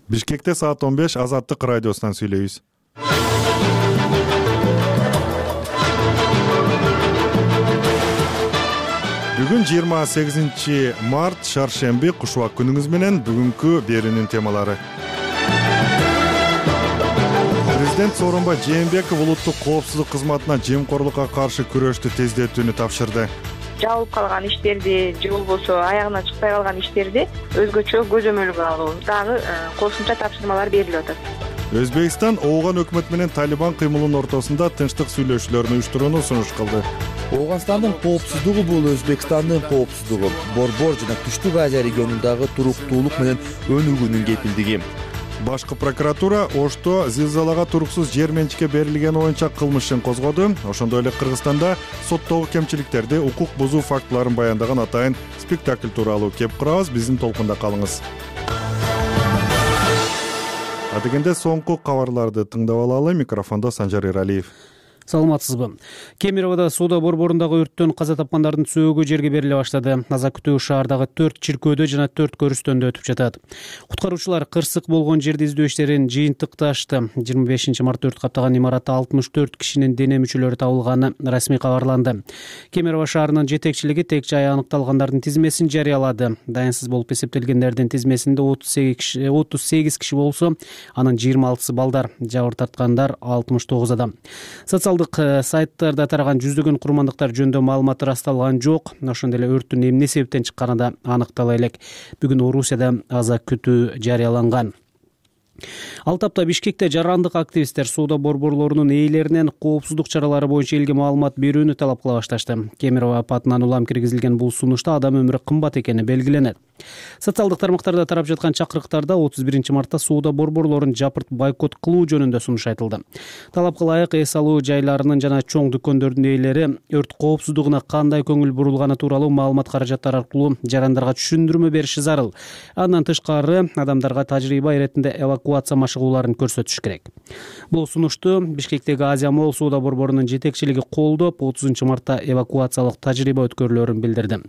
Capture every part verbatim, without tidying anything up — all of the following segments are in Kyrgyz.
Бишкекте саат он беш Азаттык радиосунан сүйлөйбүз. Бүгүн жыйырма сегизинчи март шаршемби, кушубак күнүңүз менен. Бүгүнкү берүүнүн темалары. Президент Сооронбай Жээнбеков улуттук коопсуздук кызматына жемкорлукка каршы күрөштү тездетүүнү тапшырды. Жабылып калган иштерди же болбосо аягына чыкпай калган иштерди өзгөчө көзөмөлгө алуу дагы кошумча тапшырмалар берилип атат. Өзбекстан ооган өкмөт менен Талибан кыймылынын ортосунда тынчтык сүйлөшүүлөрүн уюштурууну сунуш кылды. Ооганстандын коопсуздугу бул Өзбекстандын коопсуздугу, Борбор жана Түштүк Азия регионундагы туруктуулук менен өнүгүүнүн кепилдиги. Башкы прокуратура Ошто зилзалага туруксуз жер менчикке берилгени боюнча кылмыш ишин козгоду. Ошондой эле Кыргызстанда соттогу кемчиликтерди, укук бузуу фактыларын баяндаган атайын спектакль тууралуу кеп курабыз. Биздин толкунда калыңыз. Адегенде соңку кабарларды тыңдап алалы. Микрофондо Санжар Эралиев. Саламатсызбы? Кемероводо соода борборундагы өрттөн каза тапкандардын сөөгү жерге бериле баштады. Аза күтүү шаардагы төрт чиркөөдө жана төрт көрүстөндө өтүп жатат. Куткаруучулар кырсык болгон жерди издөө иштерин жыйынтыкташты. жыйырма бешинчи мартта өрт каптаган имаратта алтымыш төрт кишинин дене мүчөлөрү табылганы расмий кабарланды. Кемерово шаарынын жетекчилиги тек жай аныкталгандардын тизмесин жарыялады. Дайынсыз болуп эсептелгендердин тизмесинде отуз сегиз киши болсо, анын жыйырма алтысы балдар, жабыр тарткандар алтымыш тогуз адам. Сайттарда тараган жүздөгөн курмандыктар жөнүндө маалымат ырасталган жок. Ошондой эле өрттүн эмне себептен чыкканы да аныктала элек. Бүгүн Орусияда аза күтүү жарыяланган. Ал тапта Бишкекте жарандык активисттер соода борборлорунун ээлеринен коопсуздук чаралары боюнча элге маалымат берүүнү талап кыла башташты. Кемерово апатынан улам киргизилген бул сунушта адам өмүрү кымбат экени белгиленет. Социалдык тармактарда тарап жаткан чакырыктарда отуз биринчи мартта соода борборлорун жапырт бойкот кылуу жөнүндө сунуш айтылды. Талапка ылайык эс алуу жайларынын жана чоң дүкөндөрдүн ээлери өрт коопсуздугуна кандай көңүл бурулганы тууралуу маалымат каражаттар аркылуу жарандарга түшүндүрмө бериши зарыл. Андан тышкары адамдарга тажрыйба иретинде эвакуация машыгууларын көрсөтүш керек. Бул сунушту Бишкектеги Азия Молл соода борборунун жетекчилиги колдоп, отузунчу мартта эвакуациялык тажрыйба өткөрүлөрүн билдирди.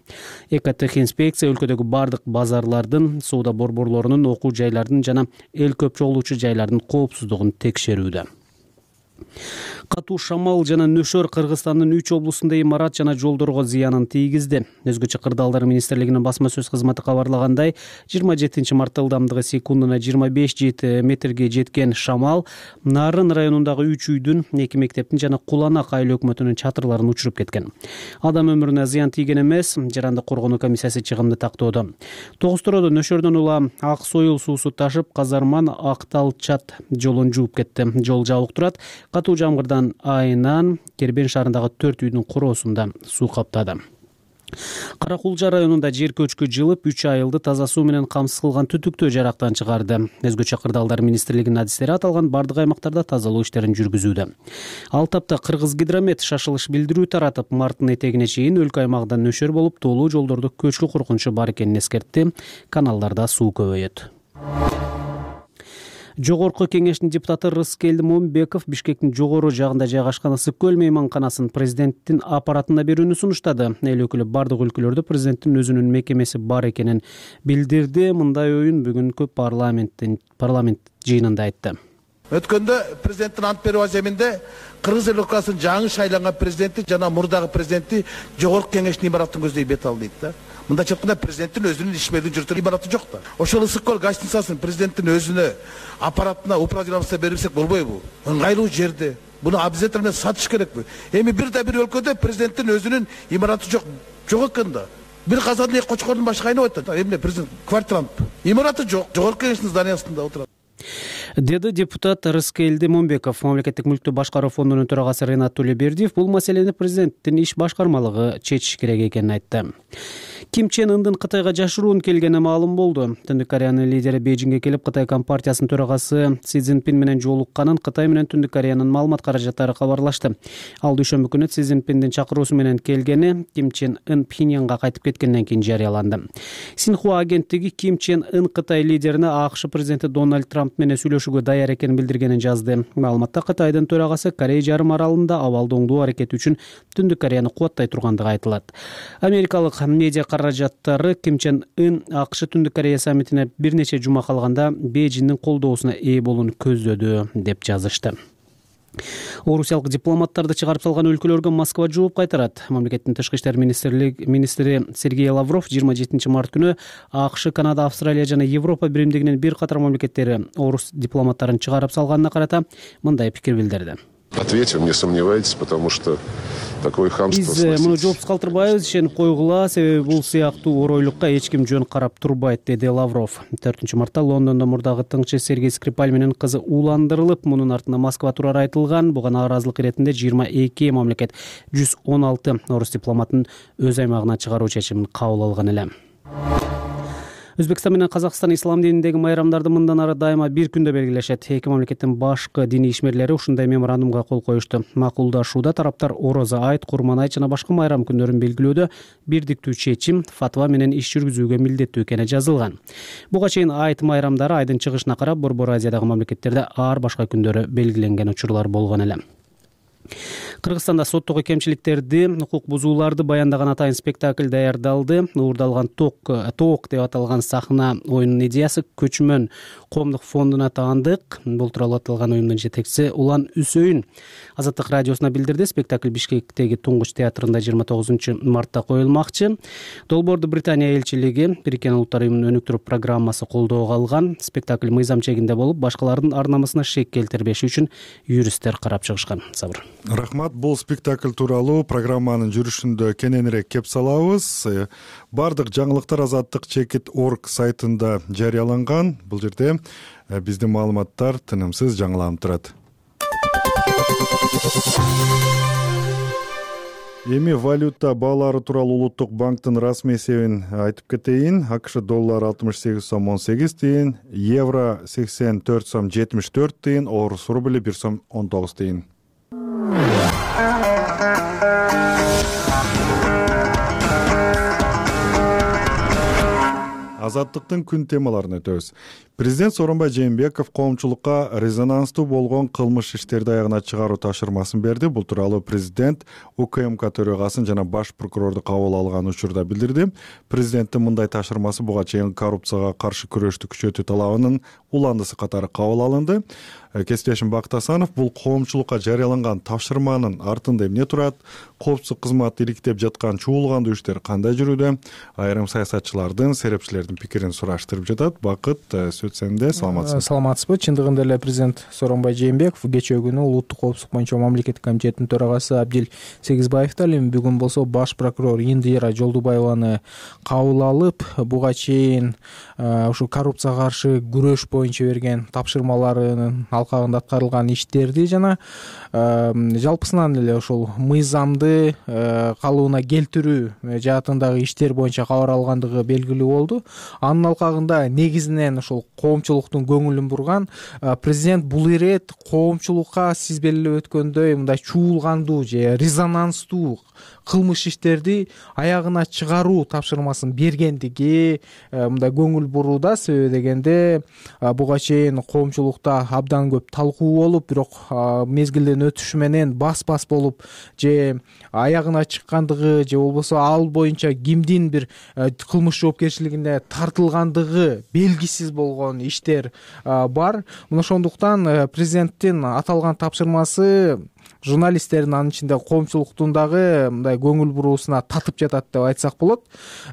Экотехинспекция өлкөдөгү бардык базарлардын, соода борборлорунун, окуу жайлардын жана эл көп чогулуучу жайлардын коопсуздугун текшерүүдө. Катуу шамал жана нөшөр Кыргызстандын үч облусунда имарат жана жолдорго зыянын тийгизди. Өзгөчө Кырдаалдар министрлигинин басма сөз кызматы кабарлагандай, жыйырма жетинчи мартта ылдамдыгы секундуна жыйырма беш метрге жеткен шамал Нарын районундагы үч үйдүн, эки мектептин жана Куланак айыл өкмөтүнүн чатырларын учуруп кеткен. Адам өмүрүнө зыян тийген эмес, жарандык коргонуу комиссиясы чыгымды тактоодо. Тогуз-Тородо нөшөрдөн улам ак союл суусу ташып, Казарман Акталчат жолун жууп кетти. Жол жабык турат. Катуу жамгырдан айынан Кербен шаарындагы төрт үйдүн короосунда суу каптады. Каракулжа районунда жер көчкү жылып, үч айылды таза суу менен камсыз кылган түтүктөө жарактан чыгарды. Өзгөчө Кырдаалдар министрлигинин адистери аталган бардык аймактарда тазалоо иштерин жүргүзүүдө. Ал тапта Кыргыз Гидромет шашылыш билдирүү таратып, марттын этегине чейин өлкө аймагында нөшөр болуп, тоолуу жолдордо көчкү коркунучу бар экенин эскертти. Каналдарда суу көбөйөт. Жогорку кеңештин депутаты Рыскелди Момбеков Бишкектин жогору жагында жайгашкан Ысык көл мейманканасын президенттин аппаратына берүүнү сунуштады. Эл өкүлү бардык өлкөлөрдө президенттин өзүнүн мекемеси бар экенин билдирди. Мындай оюн бүгүнкү парламенттин парламент жыйынында айтты. Өткөндө президенттин ант берүү аземинде Кыргыз Республикасынын жаңы шайланган президенти жана мурдагы президенти жогорку кеңештин имаратын көздөй бет алды дейт да. Мында чыкканда президенттин өзүнүн ишмердин жүртүн имараты жок да. Ошол Ысык көл гостиницасын президенттин өзүнө аппаратына управлениесине берсек болбойбу? Ыңгайлуу жерде. Буну обязательно сатыш керекпи? Эми бир да бир өлкөдө президенттин өзүнүн имараты жок. Жок экен да. Бир казан эки кочкордун башы кайнап атат. Эмне президент квартирант? Имараты жок. Жогорку кеңештин зданиясында отурат. Деди депутат Рыскелди Момбеков. Мамлекеттик мүлктү башкаруу фондунун төрагасы Ренат Төлөбердиев бул маселени президенттин иш башкармалыгы чечиш керек экенин айтты. Ким Чен Ындын Кытайга жашыруун келгени маалым болду. Түндүк Кореянын лидери Бейжиңге келип, Кытай компартиясынын төрагасы Си Цзиньпин менен жолукканын Кытай менен Түндүк Кореянын маалымат каражаттары кабарлашты. Ал дүйшөмбү күнү Си Цзиньпиндин чакыруусу менен келгени Ким Чен Ын Пхеньянга кайтып кеткенден кийин жарыяланды. Синьхуа агенттиги Ким Чен Ын Кытай лидерине АКШ президенти Дональд Трамп менен сүйлөшүүгө даяр экенин билдиргенин жазды. Маалыматта Кытайдын төрагасы Корей жарым аралында абалды оңдоо аракети үчүн Түндүк Кореяны кубаттай тургандыгы айтылат. Америкалык медиа каражаттары Ким Чен Ын АКШ Түндүк Корея саммитине бир нече жума калганда Бейжиңдин колдоосуна ээ болууну көздөдү деп жазышты. Орусиялык дипломаттарды чыгарып салган өлкөлөргө Москва жооп кайтарат. Мамлекеттин тышкы иштер министри Сергей Лавров жыйырма жетинчи март күнү АКШ, Канада, Австралия жана Европа биримдигинин бир катар мамлекеттери орус дипломаттарын чыгарып салганына карата мындай пикир билдирди. Ответим, не сомневайтесь, потому что такое хамство. Биз муну жоопсуз калтырбайбыз, ишенип койгула, себеби бул сыяктуу оройлукка эч ким жөн карап турбайт, деди Лавров. төртүнчү мартта Лондондо мурдагы тыңчы Сергей Скрипаль менен кызы ууландырылып, мунун артында Москва турары айтылган. Буга нааразылык иретинде жыйырма эки мамлекет жүз он алты орус дипломатын өз аймагына чыгаруу чечимин кабыл алган эле. Өзбекстан менен Казакстан ислам дининдеги майрамдарды мындан ары дайыма бир күндө белгилешет. Эки мамлекеттин башкы диний ишмерлери ушундай меморандумга кол коюшту. Макулдашууда тараптар Орозо айт, Курман айт жана башка майрам күндөрүн белгилөөдө бирдиктүү чечим, фатва менен иш жүргүзүүгө милдеттүү экени жазылган. Буга чейин айт майрамдары айдын чыгышына карап Борбор Азиядагы мамлекеттерде ар башка күндөрү белгиленген учурлар болгон эле. Кыргызстанда соттогу кемчиликтерди, укук бузууларды баяндаган атайын спектакль даярдалды. Уурдалган ток ток деп аталган сахна оюнунун идеясы Көчмөн коомдук фондуна таандык. Бул тууралуу аталган оюндун жетекчиси Улан Үсөйүн Азаттык радиосуна билдирди. Спектакль Бишкектеги Туңгуч театрында жыйырма тогузунчу мартта коюлмакчы. Долбоорду Британия элчилиги, Бириккен Улуттар уюмунун өнүктүрүү программасы колдоого алган. Спектакль мыйзам чегинде болуп, башкалардын ар намысына шек келтирбеш үчүн юристтер карап чыгышкан. Сабыр. Рахмат. Бул спектакль тууралуу программанын жүрүшүндө кененирээк кеп салабыз. Бардык жаңылыктар Азаттык чекит точка орг сайтында жарыяланган. Бул жерде биздин маалыматтар тынымсыз жаңыланып турат. Эми валюта баалары тууралуу Улуттук банктын расмий эсебин айтып кетейин. АКШ доллары алтымыш сегиз сом он сегиз тыйын, евро сексен төрт сом жетимиш төрт тыйын, орус рубли бир сом он тогуз тыйын. Азаттыктын күн темаларын өтөбүз. Президент Сооронбай Жээнбеков коомчулукка резонанстуу болгон кылмыш иштерди аягына чыгаруу тапшырмасын берди. Бул тууралуу президент УКМК төрөгасын жана баш прокурорду кабыл алган учурда билдирди. Президенттин мындай тапшырмасы буга чейин коррупцияга каршы күрөштү күчөтүү талабынын уландысы катары кабыл алынды. Кесиптешим Бакыт Асанов бул коомчулукка жарыяланган тапшырманын артында эмне турат? Коопсуздук кызматы иликтеп жаткан чуулгандуу иштер кандай жүрүүдө? Айрым саясатчылардын, серепчилердин пикирин сураштырып жатат. Бакыт, сөз сенде. Саламатсызбы? Саламатсызбы. Чындыгында эле президент Сооронбай Жээнбеков кечээ күнү Улуттук коопсуздук боюнча мамлекеттик комитеттин төрагасы Абдил Сегизбаев да эми бүгүн болсо баш прокурор Индира Жолдубаеваны кабыл алып, буга чейин ушу коррупцияга каршы күрөш боюнча берген тапшырмаларынын алкагында аткарылган иштерди жана жалпысынан эле ошол мыйзамды калыбына келтирүү жаатындагы иштер боюнча кабар алгандыгы белгилүү болду. Анын алкагында негизинен ошол коомчулуктун көңүлүн бурган президент бул ирет коомчулукка сиз белгилеп өткөндөй мындай чуулгандуу же резонанстуу кылмыш иштерди аягына чыгаруу тапшырмасын бергендиги мындай көңүл бурууда. Себеби дегенде буга чейин коомчулукта абдан көп талкуу болуп, бирок мезгилдин өтүшү менен бас-бас болуп же аягына чыккандыгы же болбосо ал боюнча кимдин бир кылмыш жоопкерчилигине тартылгандыгы белгисиз болгон иштер бар. Мына ошондуктан президенттин аталган тапшырмасы журналисттердин, анын ичинде коомчулуктун дагы мындай көңүл буруусуна татып жатат деп айтсак болот.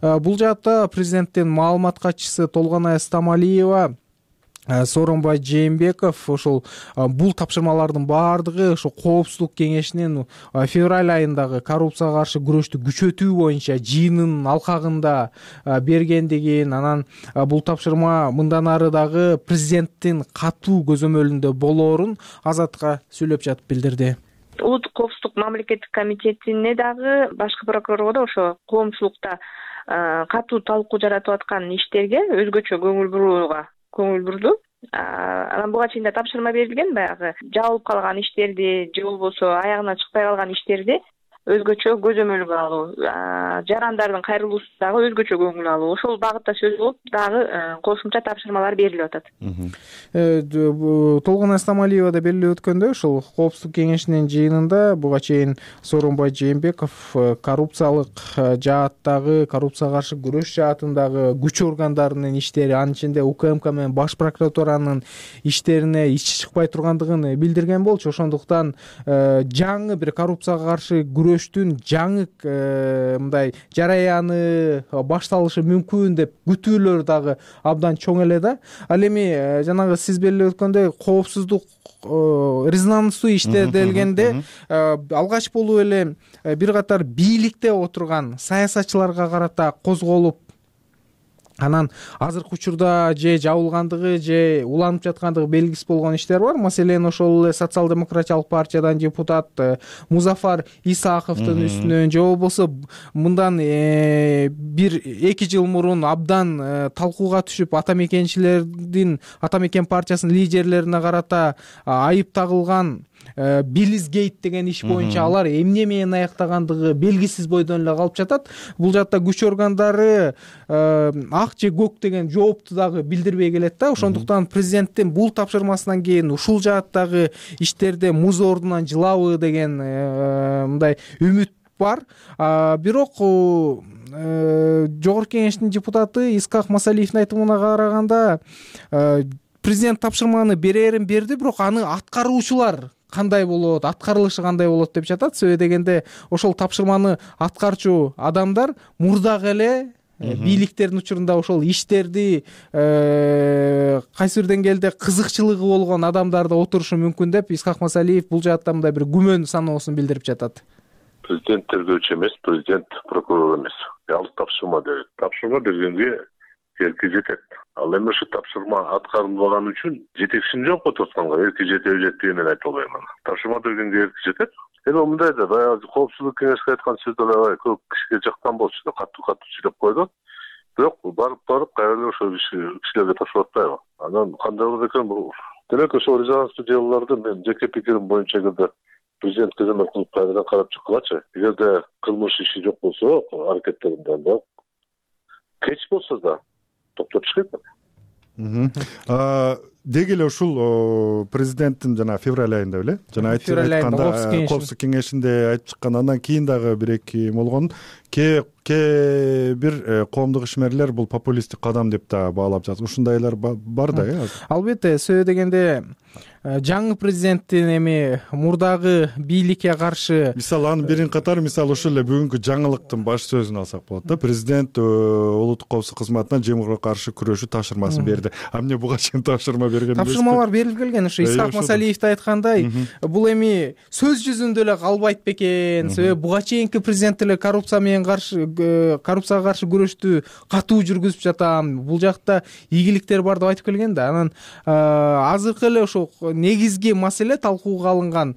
Бул жаатта президенттин маалымат катчысы Толгонай Стамалиева Сооронбай Жээнбеков ошол бул тапшырмалардын баардыгы ошо коопсуздук кеңешинин февраль айындагы коррупцияга каршы күрөштү күчөтүү боюнча жыйынынын алкагында бергендигин, анан бул тапшырма мындан ары дагы президенттин катуу көзөмөлүндө болоорун Азаттыкка сүйлөп жатып билдирди. Улуттук коопсуздук мамлекеттик комитетине дагы башкы прокурорго да ошо коомчулукта катуу талкуу жаратып аткан иштерге өзгөчө көңүл бурууга көңүл бурду. Анан буга чейин да тапшырма берилген, баягы жабылып калган иштерди же болбосо аягына чыкпай калган иштерди өзгөчө көзөмөлгө алуу, жарандардын кайрылуусуна дагы өзгөчө көңүл алуу, ошол багытта сөз кылып дагы кошумча тапшырмалар берилип атат. Толгон Эстамалиева да белгилеп өткөндөй, ошол Коопсуздук кеңешинин жыйынында буга чейин Сооронбай Жээнбеков коррупциялык жааттагы, коррупцияга каршы күрөш жаатындагы күч органдарынын иштери, анын ичинде УКМК менен Баш прокуратуранын иштерине ичи чыкпай тургандыгын билдирген болчу. Ошондуктан жаңы бир коррупцияга каршы күрөштүн жаңы мындай жараяны башталышы мүмкүн деп күтүүлөр дагы абдан чоң эле да. Ал эми жанагы сиз белгилеп өткөндөй коопсуздук резонанстуу иштер делгенде алгач болуп эле бир катар бийликте отурган саясатчыларга карата козголуп, анан азыркы учурда же жабылгандыгы же уланып жаткандыгы белгисиз болгон иштер бар. Маселен, ошол эле социал-демократиялык партиядан депутат Музафар Исаковдун үстүнөн, же болбосо мындан бир эки жыл мурун абдан талкууга түшүп ата мекенчилердин, ата мекен партиясынын лидерлерине карата айып тагылган Билизгейт деген иш боюнча алар эмне менен аяктагандыгы белгисиз бойдон эле калып жатат. Бул жакта күч органдары ак же көк деген жоопту дагы билдирбей келет да. Ошондуктан президенттин бул тапшырмасынан кийин ушул жааттагы иштерде муз ордунан жылабы деген мындай үмүт бар. Бирок жогорку кеңештин депутаты Исхак Масалиевдин айтымына караганда президент тапшырманы берерин берди, бирок аны аткаруучулар кандай болот, аткарылышы кандай болот деп жатат. Себеби дегенде ошол тапшырманы аткарчу адамдар мурдагы эле бийликтердин учурунда ошол иштерди кайсы бир деңгээлде кызыкчылыгы болгон адамдар да отурушу мүмкүн деп Исхак Масалиев бул жаатта мындай бир күмөн саноосун билдирип жатат. Президент тергөөчү эмес, президент прокурор эмес. Ал тапшырма берет. Тапшырма бергенге эрки жетет. Ал эми ушу тапшырма аткарылбаган үчүн жетекчини жоопко torтканга эрки жетеби жетпегенин мен айта албайм. Тапшырма бергенге эрки жетет. Эми мындай да баягы коопсуздук кеңешке айткан сөздөр аябай көп кишиге жактан болчу да, катуу-катуу сүйлөп койду. Бирок барып барып кайра ошол кишилерге тапшырып атпайбы. Анан кандай болот экен бул? Демек ошол резонанстуу делолорду мен жеке пикирим боюнча эгерде президент көзөмөл кылып кайрадан карап чыккылачы. Эгерде кылмыш иши жок болсо, аракеттеринде кеч болсо да токтотуш керек. Деги эле ушул президенттин жана февраль айында беле жана айтып айтканда Коопсуздук кеңешинде айтып чыккан, андан кийин дагы бир эки болгон ке ке бир коомдук ишмерлер бул популисттик кадам деп да баалап жатат. Ушундайлар бар да э? Албетте, себеби дегенде жаңы президенттин эми мурдагы бийликке каршы, мисалы анын бирин катары мисалы ушул эле бүгүнкү жаңылыктын баш сөзүн алсак болот да. Президент улуттук коопсуздук кызматына жемгоорго каршы күрөшүү тапшырмасын берди. А эмне буга чейин тапшырма берген эмес? Тапшырмалар берилип келген. Ушу Исхак Масалиев айткандай, бул эми сөз жүзүндө эле калбайт бекен. Себеби буга чейинки президент эле коррупция менен каршы коррупцияга каршы күрөштү катуу жүргүзүп жатам, бул жакта ийгиликтер бар деп айтып келген да. Анан азыркы эле ошол негизги маселе талкууга алынган.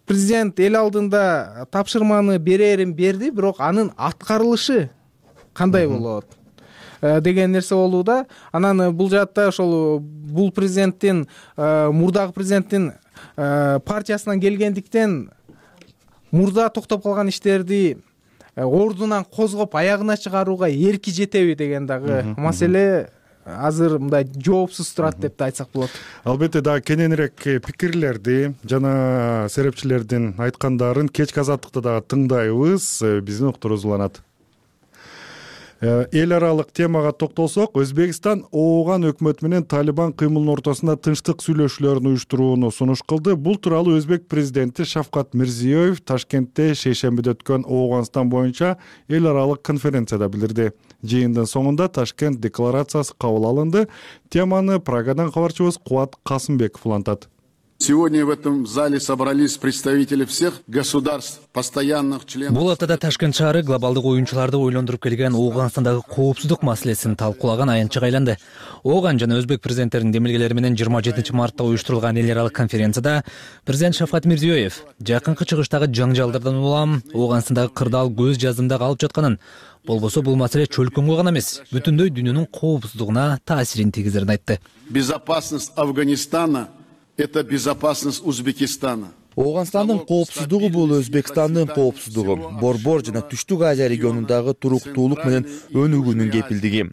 Президент эл алдында тапшырманы берерин берди, бирок анын аткарылышы кандай болот деген нерсе болууда. Анан бул жаатта ошол бул президенттин мурдагы президенттин партиясынан келгендиктен мурда токтоп калган иштерди ордунан козгоп аягына чыгарууга эрки жетеби деген дагы маселе азыр мындай жоопсуз турат деп да айтсак болот. Албетте дагы кененирээк пикирлерди жана серепчилердин айткандарын кечки азаттыкта дагы тыңдайбыз. Биздин уктурубуз уланат. Эл аралык темага токтолсок, Өзбекстан Ооган өкмөтү менен Талибан кыймылынын ортосунда тынчтык сүйлөшүүлөрүн уюштурууну сунуш кылды. Бул тууралуу Өзбек президенти Шавкат Мирзиёев Ташкентте шейшембиде өткөн Ооганстан боюнча эл аралык конференцияда билдирди. Жыйындын соңунда Ташкент декларациясы кабыл алынды. Теманы Прагадан кабарчыбыз Кубат Касымбеков улантат. Сегодня в этом зале собрались представители всех государств, постоянных членов. Бул аптада Ташкент шаары глобалдык оюнчуларды ойлондуруп келген Ооганстандагы коопсуздук маселесин талкуулаган аянтчыга айланды. Ооган жана Өзбек президенттеринин демилгелери менен жыйырма жетинчи мартта уюштурулган эл аралык конференцияда президент Шавкат Мирзиёев жакынкы чыгыштагы жаңжалдардан улам Ооганстандагы кырдаал көз жаздымда калып жатканын, болбосо бул маселе чөлкөмгө гана эмес, бүтүндөй дүйнөнүн коопсуздугуна таасирин тийгизерин айтты. Безопасность Афганистана — это безопасность Узбекистана. Ооганстандын коопсуздугу бул Өзбекстандын коопсуздугу, Борбор жана Түштүк Азия регионундагы туруктуулук менен өнүгүүнүн кепилдиги.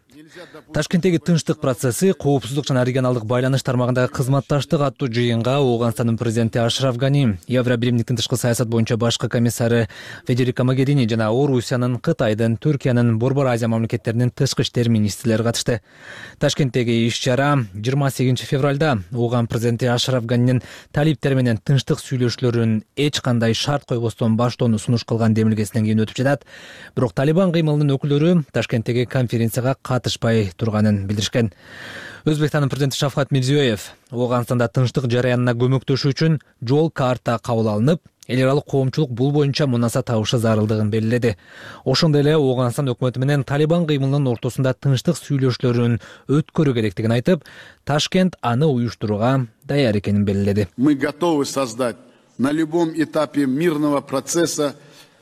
Ташкенттеги тынчтык процесси, коопсуздук жана регионалдык байланыш тармагындагы кызматташтык аттуу жыйынга Ооганстандын президенти Ашраф Гани, Евробиримдиктин тышкы саясат боюнча башкы комиссары Федерико Могерини жана Орусиянын, Кытайдын, Түркиянын, Борбор Азия мамлекеттеринин тышкы иштер министрлери катышты. Ташкенттеги иш-чара жыйырма сегизинчи февралда Ооган президенти Ашраф Ганинин талиптери менен тынчтык сүйлөшүүлөрүн эч кандай шарт койбостон баштоону сунуш кылган демилгесинен кийин өтүп жатат. Бирок Талибан кыймылынын өкүлдөрү Ташкенттеги конференцияга катышпай турганын билдиришкен. Өзбекстандын президенти Шавкат Мирзиёев Ооганстанда тынчтык жараянына көмөктөшүү үчүн жол карта кабыл алынып, эл аралык коомчулук бул боюнча мунаса табышы зарылдыгын белгиледи. Ошондой эле Ооганстан өкмөтү менен Талибан кыймылынын ортосунда тынчтык сүйлөшүүлөрүн өткөрүү керектигин айтып, Ташкент аны уюштурууга даяр экенин белгиледи. Мы готовы создать на любом этапе мирного процесса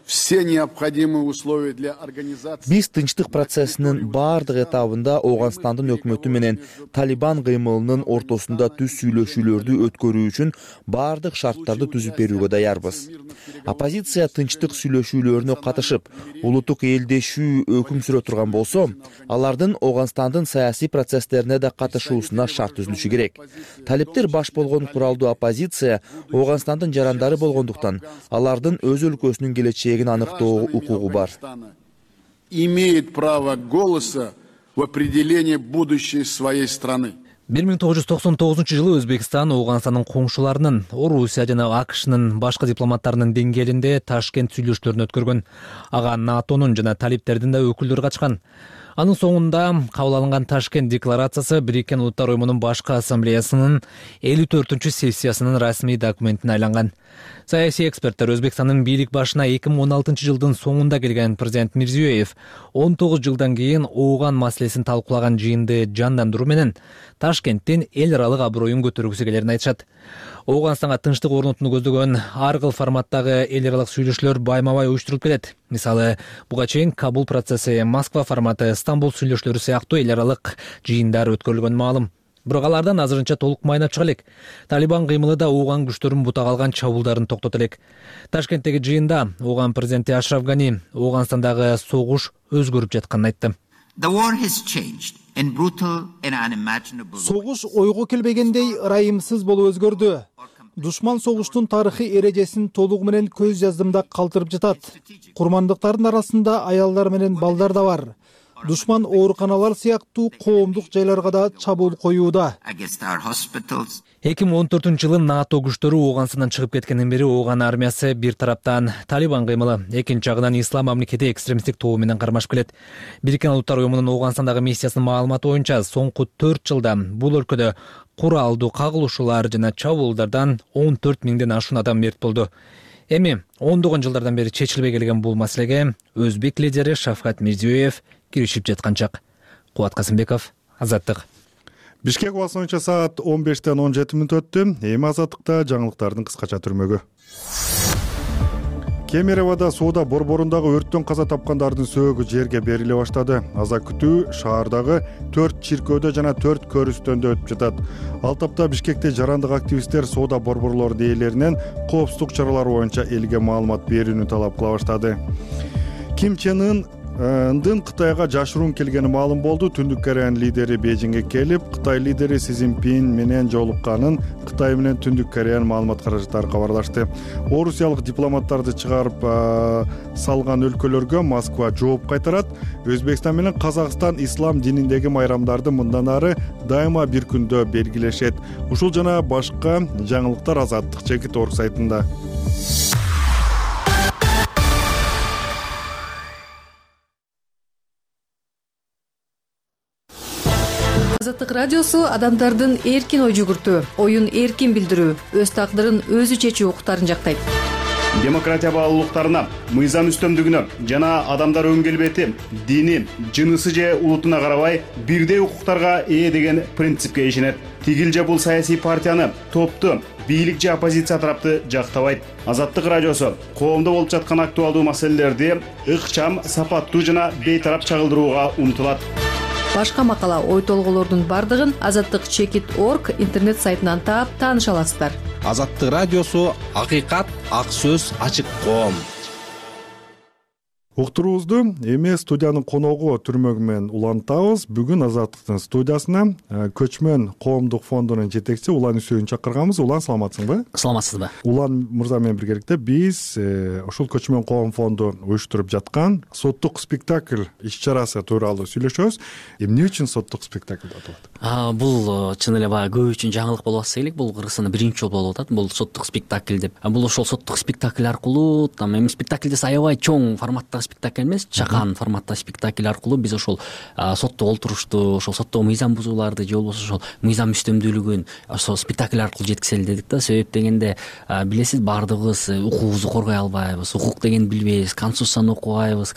все необходимые условия для организации. Биз тынчтык процессинин баардык этабында Ооганстандын өкмөтү менен Талибан кыймылынын ортосунда түз сүйлөшүүлөрдү өткөрүү үчүн баардык шарттарды түзүп берүүгө даярбыз. Оппозиция тынчтык сүйлөшүүлөрүнө катышып, улуттук элдешүү өкүм сүрө турган болсо, алардын Ооганстандын саясий процесстерине да катышуусуна шарт түзүлүшү керек. Талиптер баш болгон куралдуу оппозиция Ооганстандын жарандары болгондуктан, алардын өз өлкөсүнүн келечегин аныктоо укугу бар. Имеет право голоса в определении будущей своей страны. бир миң тогуз жүз токсон тогузунчу жылы Өзбекстан Ооганстандын коңшуларынын, Орусия жана АКШнын башкы дипломаттарынын деңгээлинде Ташкент сүйлөшүүлөрүн өткөргөн. Ага НАТОнун жана талиптердин да өкүлдөрү катышкан. Анын соңунда кабыл алынган Ташкент декларациясы Бириккен Улуттар уюмунун башкы ассамблеясынын элүү төртүнчү сессиясынын расмий документине айланган. Саясий эксперттер Өзбекстандын бийлик башына эки миң он алтынчы жылдын соңунда келген президент Мирзиёев он тогуз жылдан кийин Ооган маселесин талкуулаган жыйынды жандандыруу менен Ташкенттин эл аралык аброюн көтөргүсү келерин айтышат. Ооганстанга тынчтык орнотууну көздөгөн ар кыл форматтагы эл аралык сүйлөшүүлөр байма-бай уюштурулуп келет. Мисалы, буга чейин Кабул процесси, Москва форматы, Стамбул сүйлөшүүлөрү сыяктуу эл аралык жыйындар өткөрүлгөн маалым. Бирок алардан азырынча толук майнап чыга элек. Талибан кыймылы да Ооган күчтөрүнүн бутак алган чабуулдарын токтото элек. Ташкенттеги жыйында Ооган президенти Ашраф Гани Ооганстандагы согуш өзгөрүп жатканын айтты. Согуш ойго келбегендей ырайымсыз болуп өзгөрдү. Душман согуштун тарыхый эрежесин толугу менен көз жаздымда калтырып жатат. Курмандыктардын арасында аялдар менен балдар да бар. Душман ооруканалар сыяктуу коомдук жайларга да чабуул коюуда. эки миң он төртүнчү жылы НАТО күчтөрү Ооганстандан чыгып кеткенден бери Ооган армиясы бир тараптан Талибан кыймылы, экинчи жагынан Ислам мамлекети экстремисттик тобу менен кармашып келет. Бириккен Улуттар уюмунун Ооганстандагы миссиясынын маалыматы боюнча соңку төрт жылда бул өлкөдө куралдуу кагылышуулар жана чабуулдардан он төрт миңден ашуун адам мерт болду. Эми ондогон жылдардан бери чечилбей келген бул маселеге өзбек лидери Шавкат Мирзиёев киришип жаткан чак. Кубат Касымбеков, Азаттык. Бишкек убасынча саат он бештен он жети мүнөт өттү. Эми Азаттыкта жаңылыктардын кыскача түрмөгү. Кемероводо сууда борборундагы өрттөн каза тапкандардын сөөгү жерге бериле баштады. Аза күтүү шаардагы төрт чиркөөдө жана төрт көрүстөндө өтүп жатат. Ал тапта Бишкекте жарандык активисттер соода борборлору ээлеринен коопсуздук чаралары боюнча элге маалымат берүүнү талап кыла баштады. Ким Чен Ын Ындын Кытайга жашыруун келгени маалым болду. Түндүк Кореянын лидери Бейжиңге келип, Кытай лидери Си Цзиньпин менен жолукканын Кытай менен Түндүк Кореянын маалымат каражаттары кабарлашты. Орусиялык дипломаттарды чыгарып салган өлкөлөргө Москва жооп кайтарат. Өзбекстан менен Казакстан ислам дининдеги майрамдарды мындан ары дайыма бир күндө белгилешет. Ушул жана башка жаңылыктар Азаттык Чекит орг сайтында. Азаттык радиосу адамдардын эркин ой жүгүртүү, оюн эркин билдирүү, өз тагдырын өзү чечүү укуктарын жактайт. Демократия баалуулуктарына, мыйзам үстөмдүгүнө жана адамдар өн келбети, дини, жынысы же улутуна карабай бирдей укуктарга ээ деген принципке ишенет. Тигил же бул саясий партияны, топту, бийлик же оппозиция тарапты жактабайт. Азаттык радиосу коомдо болуп жаткан актуалдуу маселелерди ыкчам, сапаттуу жана бейтарап чагылдырууга умтулат. Башка макала, ой толгоолордун бардыгын азаттык чекит орг интернет сайтынан таап тааныша аласыздар. Азаттык радиосу акыйкат, ак сөз, ачык коом. Уктуруубузду эми студиянын коногу Түрмөгү менен улантабыз. Бүгүн Азаттыктын студиясына Көчмөн коомдук фондунун жетекчиси Улан Үсөйүн чакырганбыз. Улан, саламатсыңбы? Саламатсызбы? Улан мырза менен биргеликте биз ушул Көчмөн коом фонду уюштуруп жаткан соттук спектакль иш-чарасы тууралуу сүйлөшөбүз. Эмне үчүн соттук спектакль деп аталат? Бул чын эле баягы көп үчүн жаңылык болуп атса элек. Бул Кыргызстанда биринчи жолу болуп атат. Бул соттук спектакль деп. Бул ошол соттук спектакль аркылуу, там эми спектакль десе аябай чоң форматтагы спектакль эмес, чакан форматтагы спектакль аркылуу биз ошол сотто олтурушту, ошол сотто мыйзам бузууларды же болбосо ошол мыйзам үстөмдүүлүгүн ошол спектакль аркылуу жеткизели дедик да. Себеп дегенде билесиз, баардыгыбыз укугубузду коргой албайбыз, укук дегенди билбейбиз, конституцияны окубайбыз,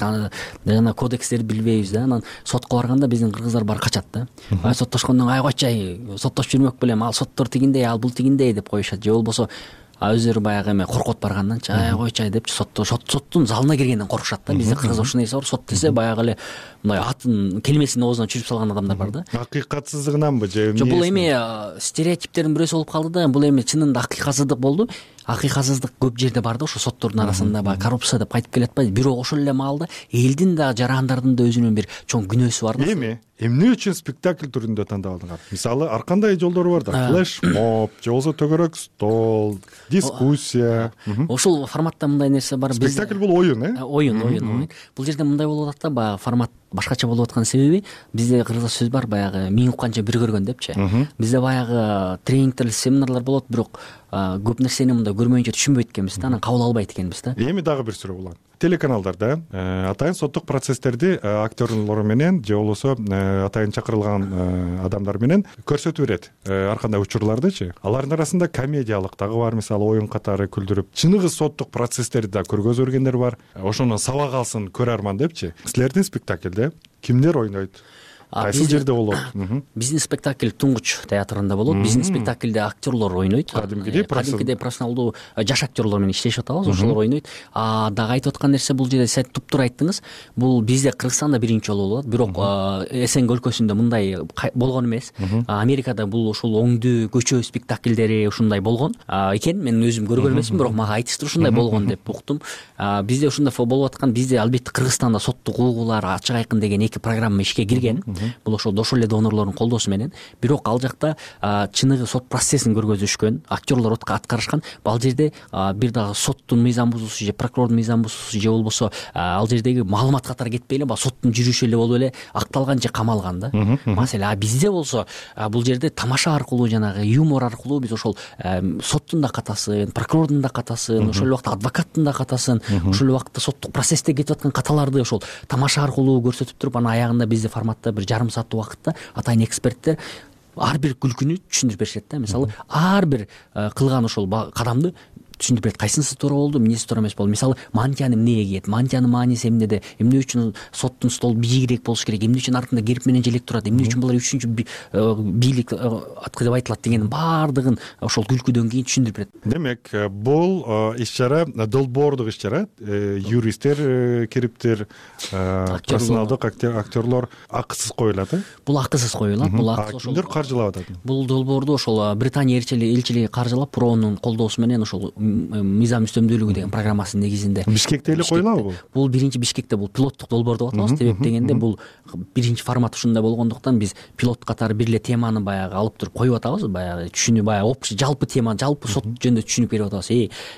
жана кодекстерди билбейбиз да. Анан сотко барганда биздин кыргыздар баары качат да. Ай соттошкондон ай койчай, соттошуп жүрмөк белем, ал соттор тигиндей, ал бул тигиндей деп коюшат. Же болбосо өздөрү баягы эме коркот барганданчы ай койчай депчи сотто соттун залына киргенден коркушат да. Бизде кыргыз ушундай нерсе бар. Сот десе баягы эле мындай атын келмесин оозуна чүрүп салган адамдар бар да. Акыйкатсыздыгынанбы же? Жок, бул эми стереотиптердин бирөөсү болуп калды да. Бул эми чынында акыйкатсыздык болду. Акыйкатсыздык көп жерде бар да. Ошо соттордун арасында баягы коррупция деп кайтып келатпайбы? Бирок ошол эле маалда элдин да жарандардын да өзүнүн бир чоң күнөөсү бар да. Эми эмне үчүн спектакль түрүндө тандалдыңар? Мисалы ар кандай жолдору бар да. Флешмоб, же болбосо төгөрөк стол, дискуссия. Ошол форматта мындай нерсе бар. Спектакль бул оюн, э? Оюн, оюн. Бул жерде мындай болуп атат да, баягы формат башкача болуп аткан себеби бизде кыргызча сөз бар, баягы миң укканча бир көргөн депчи. Бизде баягы тренингтер, семинарлар болот, бирок көп нерсени мындай көрмөйүнчө түшүнбөйт экенбиз да, анан кабыл албайт экенбиз да. Эми дагы бир суроо улан. Телеканалдарда атайын соттук процесстерди актерлор менен же болбосо атайын чакырылган адамдар менен көрсөтүп берет. Ар кандай учурлардычы. Алардын арасында комедиялык дагы бар, мисалы оюн катары күлдүрүп, чыныгы соттук процесстерди да көргөзүп бергендер бар. Ошону сабак алсын көрөрман депчи. Силердин спектакльде кимдер ойнойт? Кайсы жерде болот? Биздин спектакль Туңгуч театрында болот. Биздин спектакльде актерлор ойнойт. Кадимкидей профессионалдуу жаш актерлор менен иштешип атабыз, ошолор ойнойт. А дагы айтып аткан нерсе, бул жерде сиз туптуура айттыңыз. Бул бизде Кыргызстанда биринчи жолу болот. Бирок СНГ өлкөсүндө мындай болгон эмес. Америкада бул ушул оңдүү көчө спектакльдери ушундай болгон экен. Мен өзүм көргөн эмесмин, бирок мага айтыштыр ушундай болгон деп уктум. Бизде ушундай болуп аткан. Бизде албетте Кыргызстанда соттук угуулар ачык айкын деген эки программа ишке кирген. Бул ошол ошол эле донорлордун колдоосу менен. Бирок ал жакта чыныгы сот процессин көргөзүшкөн, актерлор аткарышкан. Ал жерде бир дагы соттун мыйзам бузуусу же прокурордун мыйзам бузуусу же болбосо ал жердеги маалымат катары кетпей эле, соттун жүрүшү эле болуп эле акталган же камалган да. Маселе а бизде болсо бул жерде тамаша аркылуу, жанагы юмор аркылуу биз ошол соттун да катасын, прокурордун да катасын, ошол убакта адвокаттын да катасын, ошол убакта соттук процессте кетип аткан каталарды ошол тамаша аркылуу көрсөтүп туруп, анан аягында бизде форматта бир жарым сааттык убакытта атайын эксперттер ар бир күлкүнү түшүндүрүп беришет да. Мисалы ар бир кылган ошол кадамды түшүндүрүп берет. Кайсынысы туура болду, эмнеси туура эмес болду. Мисалы мантияны эмнеге кийет, мантиянын мааниси эмнеде, эмне үчүн соттун столу бийигирээк болуш керек, эмне үчүн артында герб менен желек турат, эмне үчүн булар үчүнчү бийлик аткы деп айтылат дегенин баардыгын ошол күлкүдөн кийин түшүндүрүп берет. Демек, бул иш-чара долбоордук иш-чара, юристтер кириптир, профессионалдык актерлор акысыз коюлат, э? Бул акысыз коюлат. Бул акысыз ошол. Кимдер каржылап атат? Бул долбоорду ошол Британия элчилиги каржылап, проонун колдоосу менен ошол мыйзам үстөмдүүлүгү деген программасынын негизинде. Бишкекте эле коюлабы бул? Бул биринчи Бишкекте, бул пилоттук долбоор деп атабыз. Себеп дегенде бул биринчи формат ушундай болгондуктан биз пилот катары бир эле теманы баягы алып туруп коюп атабыз. Баягы түшүнүү, баягы общий жалпы тема, жалпы сот жөнүндө түшүнүк берип атабыз.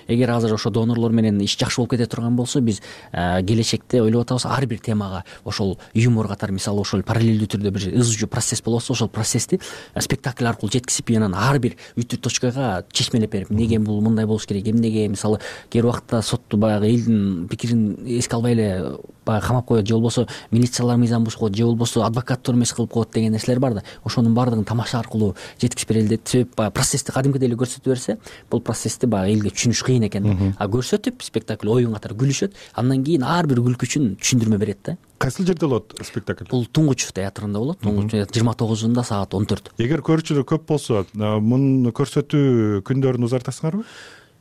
Эгер азыр ошо донорлор менен иш жакшы болуп кете турган болсо, биз келечекте ойлоп атабыз ар бир темага ошол юмор катары, мисалы ошол параллелдүү түрдө бир ызжуу процесс болуп атса, ошол процессти спектакль аркылуу жеткизип, анан ар бир үтүр точкага чечмелеп берип, эмнеге бул мындай болуш керек, эмнеге мисалы кээ бир убакта сотту баягы элдин пикирин эске албай эле баягы камап коет, же болбосо милициялар мыйзам бузуп коет, же болбосо адвокаттар эмес кылып коет деген нерселер бар да. Ошонун баардыгын тамаша аркылуу жеткизип берели деп. Себеп баягы процессти кадимкидей эле көрсөтүп берсе, бул процессти баягы элге түшүнүш кыйын экен да. А көрсөтүп спектакль оюн катары күлүшөт, андан кийин ар бир күлкү үчүн түшүндүрмө берет да. Кайсыл жерде болот спектакль? Бул Туңгуч театрында болот. Туңгуч жыйырма тогузунда саат он төрт. Эгер көрүүчүлөр көп болсо, муну көрсөтүү күндөрүн узартасыңарбы?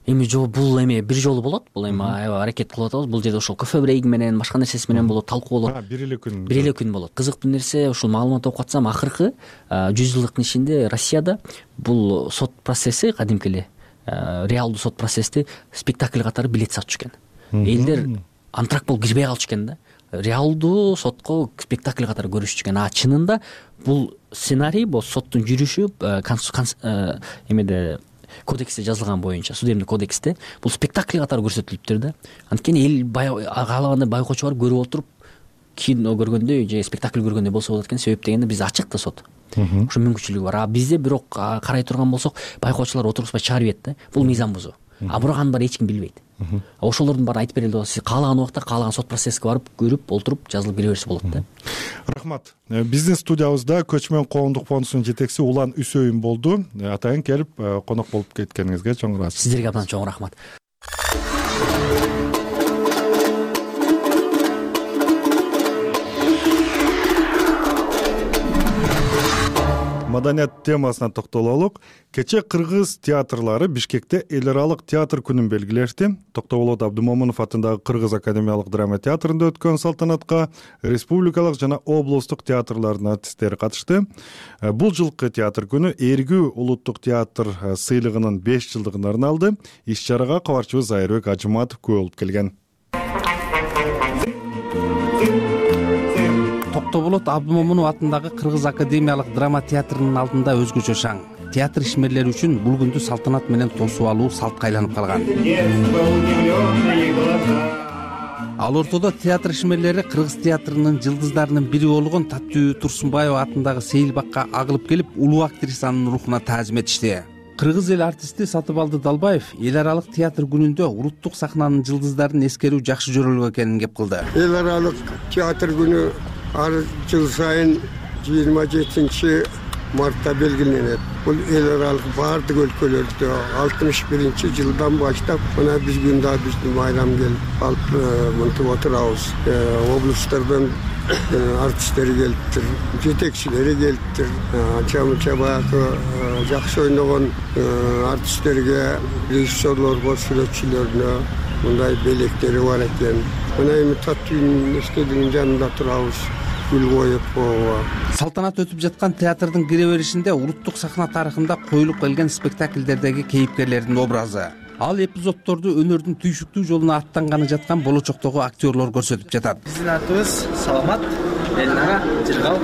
эми жок, бул эми бир жолу болот. Бул эми аябай аракет кылып атабыз. Бул жерде ошол кофе брейги менен, башка нерсеси менен болот, талкуу болот. Бир эле күн. Бир эле күн болот. Кызыктуу нерсе, ушул маалымат окуп атсам, акыркы жүз жылдыктын ичинде Россияда бул сот процесси кадимки эле реалдуу сот процессти спектакль катары билет сатчу экен. Элдер антрак болуп кирбей калчу экен да. Реалдуу сотко спектакль катары көрүшчү экен. А чынында бул сценарий, бул соттун жүрүшү эмеде кодексте жазылган боюнча, судебный кодексте бул спектакль катары көрсөтүлүптүр да. Анткени эл каалагандай байкоочу барып көрүп отуруп кино көргөндөй же спектакль көргөндөй болсо болот экен. Себеп дегенде бизде ачык да сот. Ошо мүмкүнчүлүгү бар. А бизде бирок карай турган болсок, байкоочулар отургузбай чыгарып ийет да. Бул мыйзам бузуу. А бирок анын баары эч ким билбейт. Ошолордун баары айтып берилди. Сиз каалаган убакта каалаган сот процесске барып көрүп, олтуруп, жазылып кире берсе болот да. Рахмат. Биздин студиябызда Көчмөн коомдук фондунун жетекчиси Улан Үсөйүн болду. Атайын келип конок болуп кеткениңизге чоң ыраазычылык. Сиздерге абдан чоң рахмат. Маданият темасына токтололук. Кече кыргыз театрлары Бишкекте эл аралык театр күнүн белгилешти. Токтогулот Абдымомунов атындагы Кыргыз академиялык драма театрында өткөн салтанатка республикалык жана облустук театрлардын артисттери катышты. Бул жылкы театр күнү Эргүү улуттук театр сыйлыгынын беш жылдыгына арналды. Иш-чарага кабарчыбыз Айырбек Ажыматов күбө болуп келген. Токтоболот Абдымомунов атындагы Кыргыз академиялык драма театрынын алдында өзгөчө шаң. Театр ишмерлери үчүн бул күндү салтанат менен тосуп алуу салтка айланып калган. Ал ортодо театр ишмерлери Кыргыз театрынын жылдыздарынын бири болгон Таттуу Турсунбаева атындагы Сейилбакка агылып келип, улуу актрисанын рухуна таазим этишти. Кыргыз эл артисти Сатыбалды Далбаев эл аралык театр күнүндө улуттук сахнанын жылдыздарын эскерүү жакшы жөрөлгө экенин кеп кылды. Эл аралык театр күнү ар жыл сайын жыйырма жетинчи мартта белгиленет. Бул эл аралык баардык өлкөлөрдө алтымыш биринчи жылдан баштап мына биздин да биздин байрам келип алып мынтип отурабыз. Облустардан артисттери келиптир, жетекчилери келиптир. Анча-мынча баягы жакшы ойногон артисттерге, режиссерлорго, сүрөтчүлөрүнө мындай белектери бар экен. Мына эми Таттуунун эстелигинин жанында турабыз. Гүл коюп. Салтанат өтүп жаткан театрдын кире беришинде улуттук сахна тарыхында коюлуп келген спектакльдердеги кейипкерлердин образы. Ал эпизоддорду өнөрдүн түйшүктүү жолуна аттанганы жаткан болочоктогу актерлор көрсөтүп жатат. Биздин атыбыз Саламат, Элнара, Жыргал.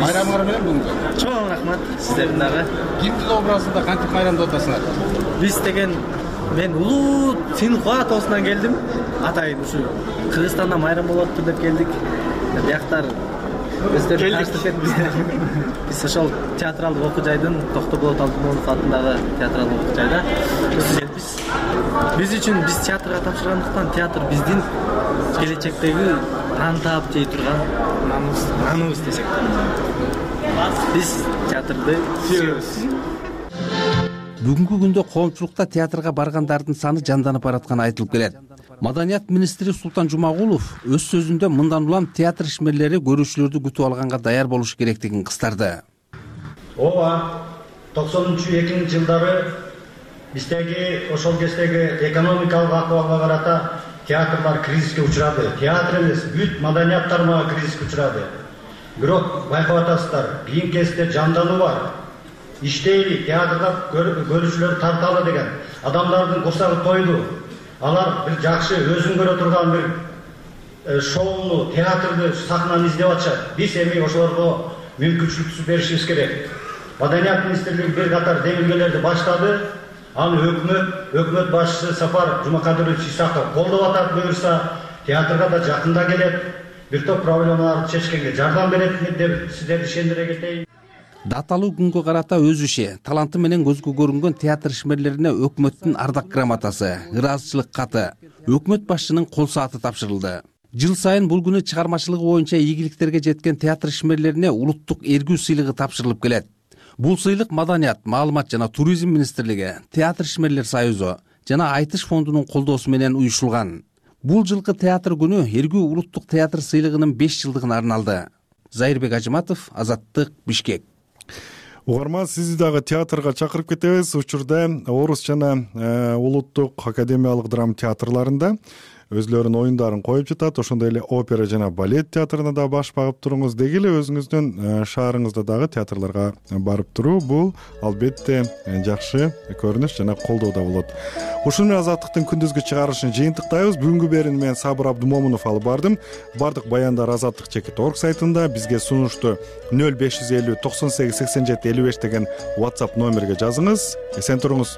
Майрамыңар менен бүгүнкү. Чоң рахмат сиздердин дагы. Кимдин образында кантип майрамдап атасыңар? Биз деген мен улуу Синхуа тоосунан келдим. Атайын ушу Кыргызстанда майрам болоптур деп келдик. Бияктар өздөрү таштып кетти. Биз ошол театралдык окуу жайдын Токтоболот Абдымомунов атындагы театралдык окуу жайда студентпиз. Биз үчүн биз театрга тапшыргандыктан театр биздин келечектеги нан таап жей турган наныбыз десек. Биз театрды сүйөбүз. Бүгүнкү күндө коомчулукта театрга баргандардын саны жанданып баратканы айтылып келет. Маданият министри Султан Жумагулов өз сөзүндө мындан улам театр ишмерлери көрүүчүлөрдү күтүп алганга даяр болуш керектигин кыстарды. Ооба, токсонунчу экинчи жылдары биздеги ошол кездеги экономикалык акыбалга карата театрлар кризиске учурады. Театр эмес, бүт маданият тармагы кризиске учурады. Бирок байкап атасыздар, кийин кезде жандануу бар. Иштейли, театрга көрүүчүлөр тарталы деген адамдардын курсагы тойду. Алар бир жакшы өзүн көрө турган бир шоуну, театрды, сахнаны издеп атышат. Биз эми ошолорго мүмкүнчүлүк беришибиз керек. Маданият министрлиги бир катар демилгелерди баштады. Аны өкмөт, өкмөт башчысы Сапар Жумакадырович Исаков колдоп атат, буюрса театрга да жакында келет. Бир топ проблемаларды чечкенге жардам берет деп сиздерди ишендире кетейин. Даталуу күнгө карата өз иши, таланты менен көзгө көрүнгөн театр ишмерлерине өкмөттүн ардак грамотасы, ыраазычылык каты, өкмөт башчынын кол сааты тапшырылды. Жыл сайын бул күнү чыгармачылыгы боюнча ийгиликтерге жеткен театр ишмерлерине улуттук эргүү сыйлыгы тапшырылып келет. Бул сыйлык Маданият, маалымат жана туризм министрлиги, Театр ишмерлер союзу жана Айтыш фондунун колдоосу менен уюшулган. Бул жылкы театр күнү эргүү улуттук театр сыйлыгынын беш жылдыгына арналды. Зайырбек Ажыматов, Азаттык, Бишкек. угарман, сизди дагы театрга чакырып кетебиз. Учурда Орус жана улуттук академиялык драма театрларында өзлөрүнүн оюндарын коюп жатат. Ошондой эле опера жана балет театрына да баш багып туруңуз. Деги эле өзүңүздүн шаарыңызда дагы театрларга барып туруу бул албетте жакшы көрүнүш жана колдоо да болот. Ушуну менен Азаттыктын күндүзгү чыгарылышын жыйынтыктайбыз. Бүгүнкү берүүнү мен Сабыр Абдымомунов алып бардым. Бардык баяндар азаттык чекит орг сайтында. Бизге сунушту нөл беш жүз элүү токсон сегиз сексен жети элүү беш деген WhatsApp номерге жазыңыз. Эсен туруңуз.